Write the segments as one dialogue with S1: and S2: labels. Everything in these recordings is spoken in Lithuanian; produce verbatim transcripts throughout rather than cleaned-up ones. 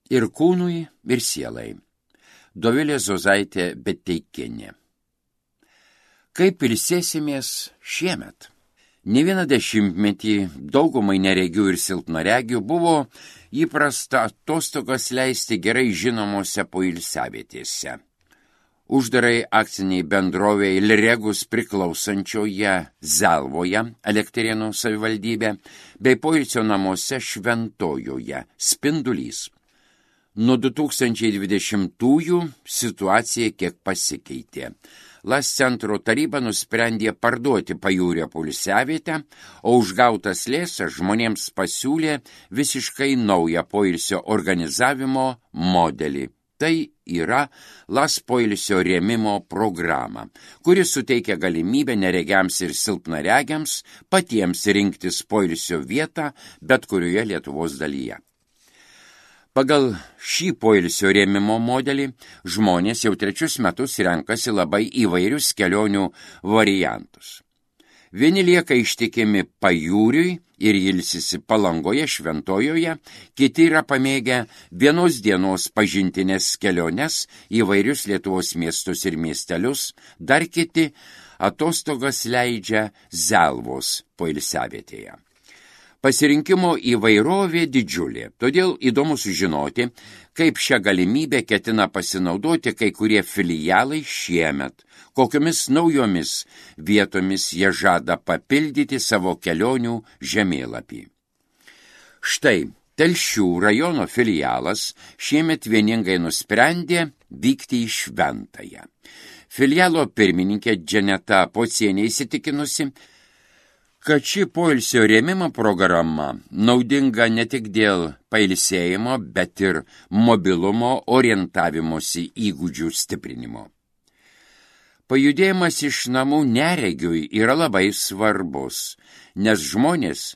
S1: ir kūnui, ir sielai. Dovilė Zozaitė Beteikienė. Kaip ilsėsimės šiemet? Ne vieną dešimtmetį daugumai neregių ir silpnaregių buvo įprasta atostogas leisti gerai žinomose poilsiavietėse. Uždarai akciniai bendrovei Liregus priklausančioje Zelvoje, Elektrėnų savivaldybė, bei poilsio namuose Šventojoje, Spindulys. Nuo du tūkstančiai dvidešimtųjų situacija kiek pasikeitė. Las centro taryba nusprendė parduoti pajūrio poilsiavietę, o už gautas lėšas žmonėms pasiūlė visiškai naują poilsio organizavimo modelį. Tai yra Las poilsio rėmimo programa, kuri suteikia galimybę neregiams ir silpnaregiams patiems rinktis poilsio vietą bet kurioje Lietuvos dalyje. Pagal šį poilsio rėmimo modelį žmonės jau trečius metus renkasi labai įvairius kelionių variantus. Vieni lieka ištikimi pajūriui ir ilsisi Palangoje, Šventojoje, kiti yra pamėgę vienos dienos pažintinės keliones į įvairius Lietuvos miestus ir miestelius, dar kiti atostogas leidžia Zelvos poilsiavietėje. Pasirinkimo įvairovė didžiulė, todėl įdomu sužinoti, kaip šią galimybę ketina pasinaudoti kai kurie filialai šiemet, kokiomis naujomis vietomis jie žada papildyti savo kelionių žemėlapį. Štai Telšių rajono filialas šiemet vieningai nusprendė vykti į Šventąją. Filialo pirmininkė Dženeta Pocienė įsitikinusi, kad ši poilsio rėmimo programa naudinga ne tik dėl pailsėjimo, bet ir mobilumo orientavimosi įgūdžių stiprinimo. Pajudėjimas iš namų neregiui yra labai svarbus, nes žmonės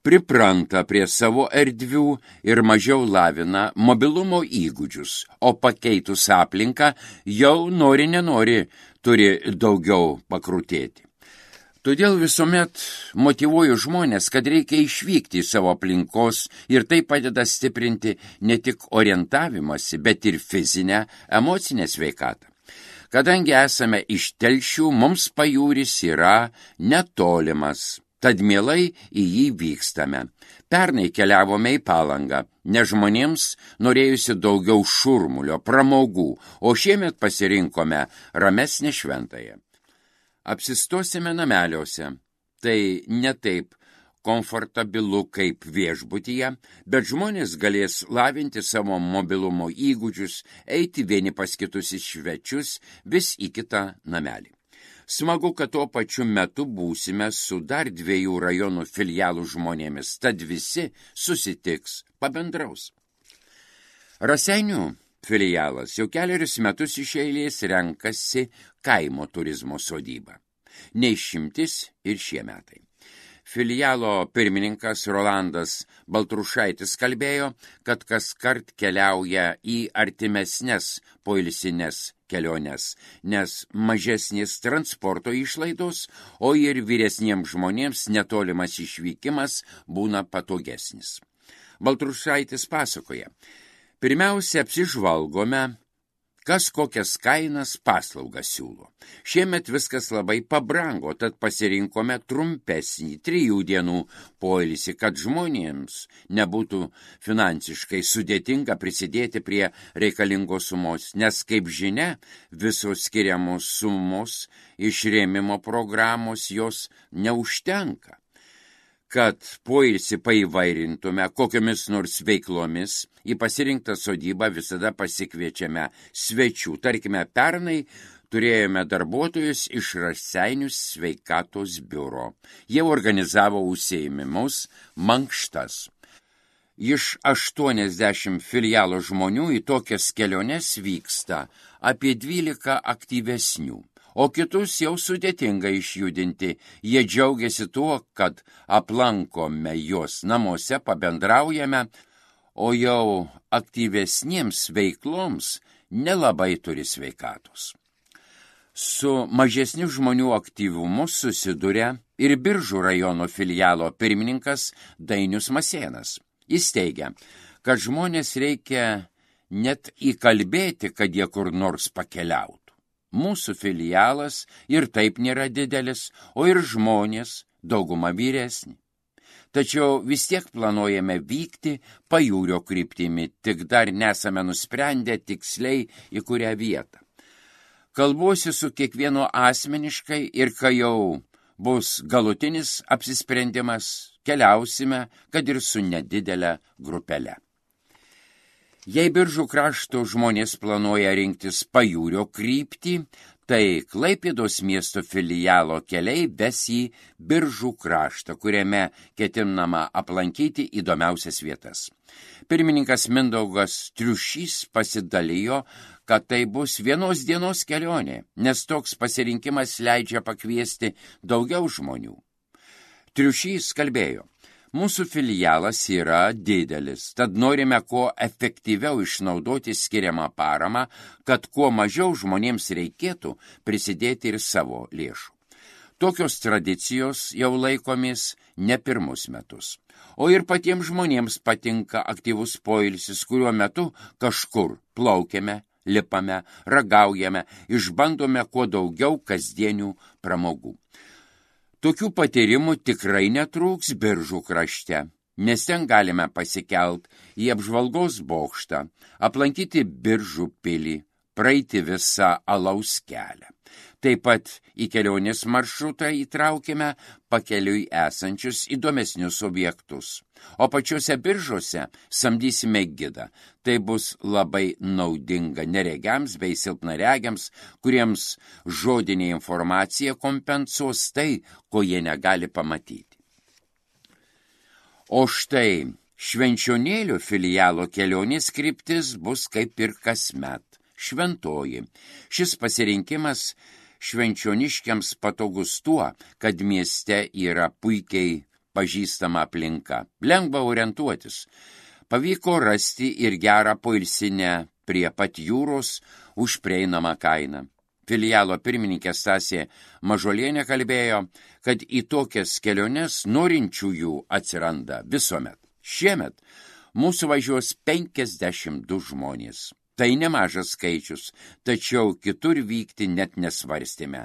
S1: pripranta prie savo erdvių ir mažiau lavina mobilumo įgūdžius, o pakeitus aplinką jau nori nenori turi daugiau pakrutėti. Todėl visuomet motyvuoju žmonės, kad reikia išvykti iš savo aplinkos ir tai padeda stiprinti ne tik orientavimąsi, bet ir fizinę, emocinę sveikatą. Kadangi esame iš Telšių, mums pajūris yra netolimas, tad mielai į jį vykstame. Pernai keliavome į Palangą, nes žmonėms norėjusi daugiau šurmulio, pramogų, o šiemet pasirinkome ramesnę Šventąją. Apsistosime nameliuose. Tai ne taip komfortabilu kaip viešbutyje, bet žmonės galės lavinti savo mobilumo įgūdžius, eiti vieni pas kitus į svečius, vis į kitą namelį. Smagu, kad tuo pačiu metu būsime su dar dviejų rajonų filialų žmonėmis, tad visi susitiks, pabendraus. Raseinių filialas jau keliarius metus iš eilės renkasi kaimo turizmo sodybą. Neišimtis ir šie metai. Filialo pirmininkas Rolandas Baltrušaitis kalbėjo, kad kaskart keliauja į artimesnes poilsines keliones, nes mažesnės transporto išlaidos, o ir vyresniems žmonėms netolimas išvykimas būna patogesnis. Baltrušaitis pasakoja, pirmiausia apsižvalgome, kas kokias kainas paslaugas siūlo. Šiemet viskas labai pabrango, tad pasirinkome trumpesnį trijų dienų poilsį, kad žmonėms nebūtų finansiškai sudėtinga prisidėti prie reikalingos sumos, nes, kaip žinia, visos skiriamos sumos iš rėmimo programos jos neužtenka. Kad poilsį paįvairintume kokiomis nors veiklomis, į pasirinktą sodybą visada pasikviečiame svečių. Tarkime, pernai turėjome darbuotojus iš Raseinių sveikatos biuro. Jie organizavo užsiėmimus mankštas. Iš aštuoniasdešimt filialo žmonių į tokias keliones vyksta apie dvylika aktyvesnių. O kitus jau sudėtinga išjudinti. Jie džiaugiasi tuo, kad aplankome juos namuose, pabendraujame, o jau aktyvesniems veikloms nelabai turi sveikatos. Su mažesniu žmonių aktyvumu susiduria ir Biržų rajono filialo pirmininkas Dainius Masėnas. Jis teigia, kad žmonės reikia net įkalbėti, kad jie kur nors pakeliautų. Mūsų filialas ir taip nėra didelis, o ir žmonės dauguma vyresni. Tačiau vis tiek planuojame vykti pajūrio kryptimi, tik dar nesame nusprendę tiksliai į kurią vietą. Kalbuosi su kiekvienu asmeniškai ir kai jau bus galutinis apsisprendimas, keliausime, kad ir su nedidelė grupelė. Jei Biržų krašto žmonės planuoja rinktis pajūrio kryptį, tai Klaipėdos miesto filialo keliai ves į Biržų kraštą, kuriame ketinama aplankyti įdomiausias vietas. Pirmininkas Mindaugas Triušys pasidalijo, kad tai bus vienos dienos kelionė, nes toks pasirinkimas leidžia pakviesti daugiau žmonių. Triušys kalbėjo: mūsų filialas yra didelis, tad norime kuo efektyviau išnaudoti skiriamą paramą, kad kuo mažiau žmonėms reikėtų prisidėti ir savo lėšų. Tokios tradicijos jau laikomis ne pirmus metus. O ir patiems žmonėms patinka aktyvus poilsis, kuriuo metu kažkur plaukiame, lipame, ragaujame, išbandome kuo daugiau kasdienių pramogų. Tokių patyrimų tikrai netrūks Biržų krašte, nes ten galime pasikelt į apžvalgos bokštą, aplankyti Biržų pilį, praeiti visą alaus kelią. Taip pat į kelionės maršrutą įtraukime pakeliui esančius įdomesnius objektus. O pačiuose Biržuose samdysime gidą. Tai bus labai naudinga neregiams bei silpnaregiams, kuriems žodinė informacija kompensuos tai, ko jie negali pamatyti. O štai Švenčionėlių filialo kelionės kryptis bus kaip ir kasmet – šventoji. Šis pasirinkimas švenčioniškiams patogus tuo, kad mieste yra puikiai pažįstama aplinka. Lengva orientuotis. Pavyko rasti ir gerą poilsinę prie pat jūros už prieinamą kainą. Filialo pirmininkė Stasė Mažolienė kalbėjo, kad į tokias keliones norinčiųjų atsiranda visuomet. Šiemet mūsų važiuos penkiasdešimt du žmonės. Tai nemažas skaičius, tačiau kitur vykti net nesvarstėme,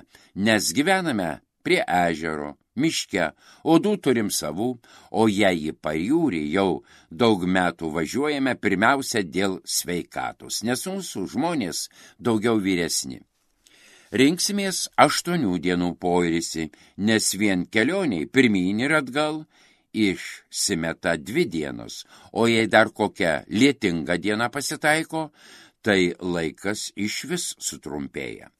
S1: nes gyvename prie ežero, miške, odų turim savų, o jei į pajūrį jau daug metų važiuojame pirmiausia dėl sveikatos, nes mūsų žmonės daugiau vyresni. Rinksimės aštuonių dienų poilsį, nes vien kelioniai pirmyn ir atgal išsimeta dvi dienos, o jei dar kokia lietinga diena pasitaiko, tai laikas išvis sutrumpėja.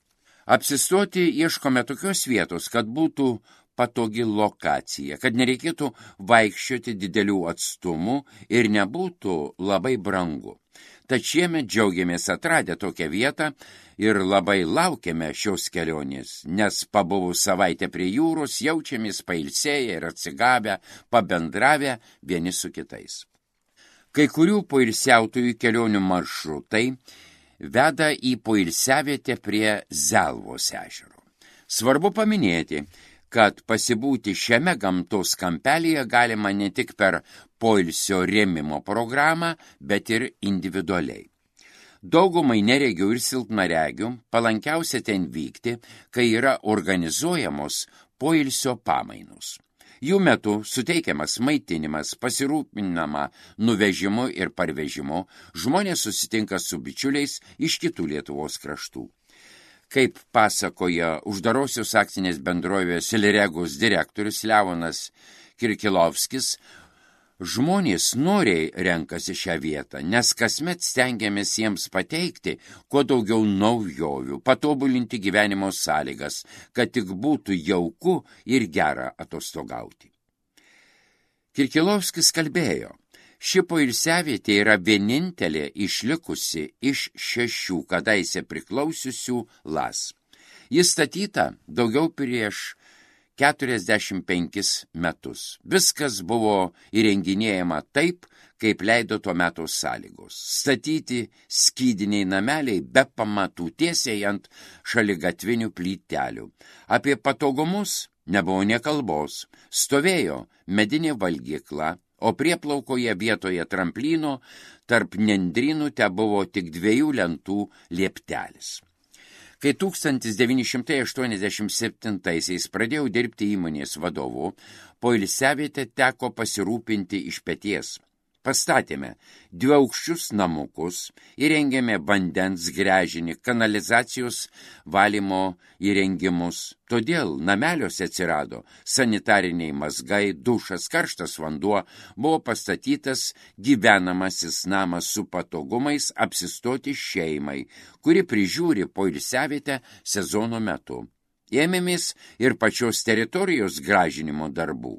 S1: Apsistoti ieškome tokios vietos, kad būtų patogi lokacija, kad nereikėtų vaikščioti didelių atstumų ir nebūtų labai brangu. Tad šiemet džiaugiamės atradę tokią vietą ir labai laukiame šios kelionės, nes pabuvus savaitę prie jūros jaučiamės pailsėję ir atsigavę, pabendravę vieni su kitais. Kai kurių poilsiautojų kelionių maršrutai veda į poilsiavietę prie Zelvos ežero. Svarbu paminėti, kad pasibūti šiame gamtos kampelyje galima ne tik per poilsio rėmimo programą, bet ir individualiai. Daugumai neregių ir silpnaregių palankiausia ten vykti, kai yra organizuojamos poilsio pamainos. Jų metu suteikiamas maitinimas, pasirūpinama nuvežimu ir parvežimu, žmonės susitinka su bičiuliais iš kitų Lietuvos kraštų. Kaip pasakoja uždarosios akcinės bendrovės Siliregos direktorius Leonas Kirkilovskis, žmonės noriai renkasi šią vietą, nes kasmet stengiamės jiems pateikti kuo daugiau naujovių, patobulinti gyvenimo sąlygas, kad tik būtų jauku ir gera atostogauti. Kirkilovskis kalbėjo, ši poilsiavietė yra vienintelė išlikusi iš šešių kadaise priklausiusių Las. Jis statyta daugiau prieš keturiasdešimt penkis metus. Viskas buvo įrenginėjama taip, kaip leido tuo metu sąlygos. Statyti skydiniai nameliai be pamatų tiesiai ant šaligatvinių plytelių. Apie patogumus nebuvo nė kalbos. Stovėjo medinė valgykla, o prieplaukoje vietoje tramplyno tarp nendrynų tebuvo tik dviejų lentų lieptelis. Kai tūkstantis devyni šimtai aštuoniasdešimt septintaisiais pradėjau dirbti įmonės vadovu, poilsiavietę teko pasirūpinti iš peties. Pastatėme dviaukščius namukus, įrengėme vandens gręžinį, kanalizacijos valymo įrengimus. Todėl nameliuose atsirado sanitariniai mazgai, dušas, karštas vanduo, buvo pastatytas gyvenamasis namas su patogumais apsistoti šeimai, kuri prižiūri poilsiavietę sezono metu. Ėmėmės ir pačios teritorijos gražinimo darbų.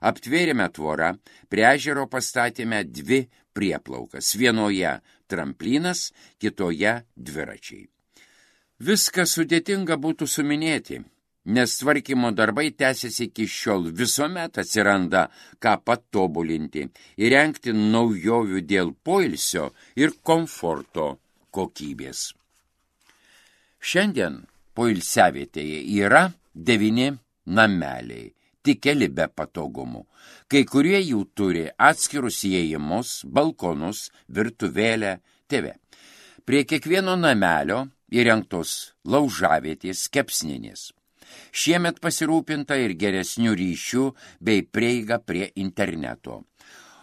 S1: Aptvėrėme tvorą, prie ežero pastatėme dvi prieplaukas, vienoje tramplynas, kitoje dviračiai. Viską sudėtinga būtų suminėti, nes tvarkymo darbai tęsiasi iki šiol, visuomet atsiranda ką patobulinti, įrengti naujovių dėl poilsio ir komforto kokybės. Šiandien poilsiavietėje yra devyni nameliai, tik keli be patogumų. Kai kurie jų turi atskirus įėjimus, balkonus, virtuvėlę, T V. Prie kiekvieno namelio įrengtos laužavietės, kepsninės. Šiemet pasirūpinta ir geresnių ryšių bei prieiga prie interneto.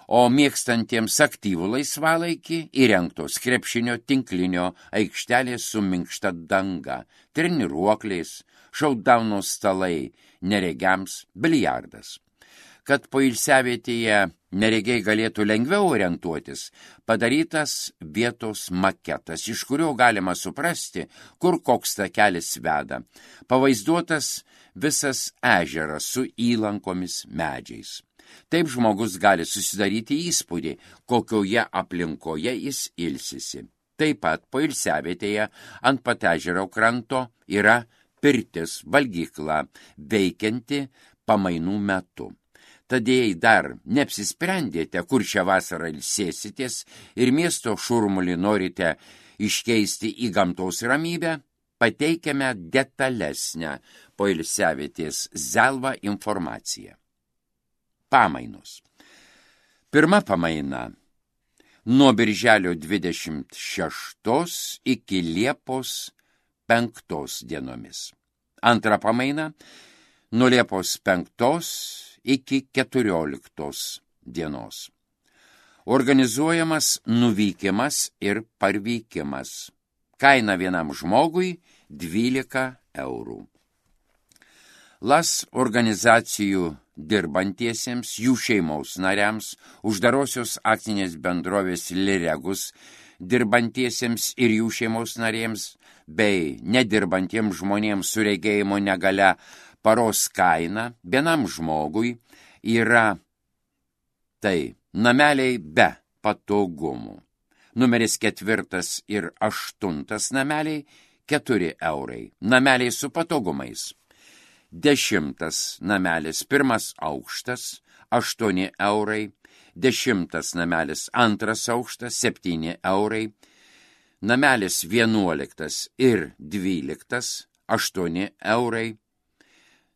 S1: O mėgstantiems aktyvų laisvalaikį įrengtos krepšinio tinklinio aikštelės su minkšta danga, treniruokliais, šaudauno stalai, neregiams, biliardas. Kad poilsiavietėje neregiai galėtų lengviau orientuotis, padarytas vietos maketas, iš kurio galima suprasti, kur koks takelis veda, pavaizduotas visas ežeras su įlankomis medžiais. Taip žmogus gali susidaryti įspūdį, kokioje aplinkoje jis ilsisi. Taip pat poilsiavietėje ant pat ežero kranto yra pirtis, valgykla, veikianti pamainų metu. Tad jei dar neapsisprendėte, kur šią vasarą ilsėsitės ir miesto šurmulį norite iškeisti į gamtos ramybę, pateikiame detalesnę poilsiavietės Zelva informaciją. Pamainos. Pirma pamaina nuo birželio dvidešimt šeštos iki Liepos penktos dienomis. Antra pamaina nuo Liepos penktos iki keturioliktos dienos. Organizuojamas nuvykimas ir parvykimas. Kaina vienam žmogui dvylika eurų. Las organizacijų dirbantiesiems, jų šeimos nariams, uždarosios akcinės bendrovės Liregus dirbantiesiems ir jų šeimos narėms, bei nedirbantiems žmonėms su regėjimo negalia paros kaina vienam žmogui yra tai nameliai be patogumų. Numeris ketvirtas ir aštuntas nameliai keturi eurai, nameliai su patogumais. Dešimtas namelis pirmas aukštas, aštuoni eurai, dešimtas namelis antras aukštas, septyni eurai, namelis vienuoliktas ir dvyliktas, aštuoni eurai,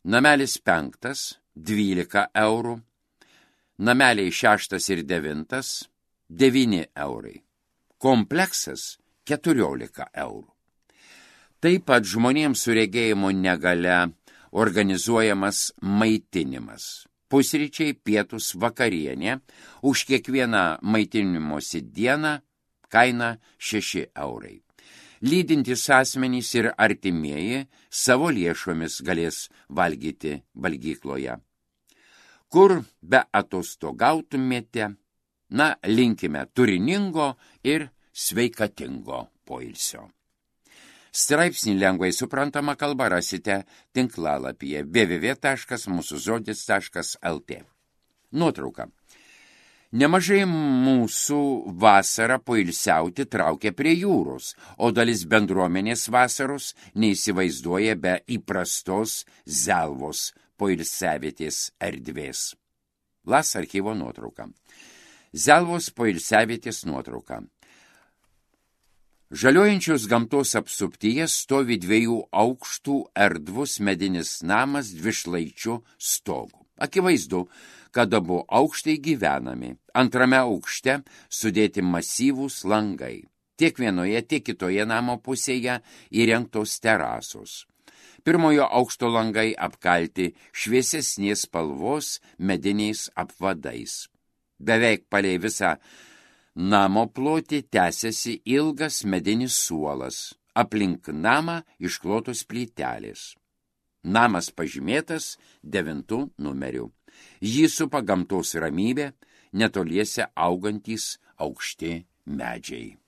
S1: namelis penktas, dvylika eurų, nameliai šeštas ir devintas, devyni eurai, kompleksas keturiolika eurų. Taip pat žmonėms su regėjimo negalia organizuojamas maitinimas. Pusryčiai, pietus, vakarienė, už kiekvieną maitinimosi dieną kaina šeši eurai. Lydintys asmenys ir artimieji savo lėšomis galės valgyti valgykloje. Kur be atostogautumėte, na, linkime turiningo ir sveikatingo poilsio. Straipsnį lengvai suprantama kalba rasite tinklalapyje w w w taškas mūsų žodis taškas l t. Nuotrauka. Nemažai mūsų vasarą poilsiauti traukia prie jūros, o dalis bendruomenės vasaros neįsivaizduoja be įprastos Zelvos poilsiavietės erdvės. Las archyvo nuotrauka. Zelvos poilsiavietės nuotrauka. Žaliojančios gamtos apsuptyje stovi dviejų aukštų erdvus medinis namas dvišlaičių stogu. Akivaizdu, kad abu aukštai gyvenami. Antrame aukšte sudėti masyvūs langai. Tiek vienoje, tiek kitoje namo pusėje įrengtos terasos. Pirmojo aukšto langai apkalti šviesesnės spalvos mediniais apvadais. Beveik palei visą namo plotį tęsiasi ilgas medinis suolas. Aplink namą išklotos plytelės. Namas pažymėtas devintu numeriu. Jį supa gamtos ramybė, netoliese augantys aukšti medžiai.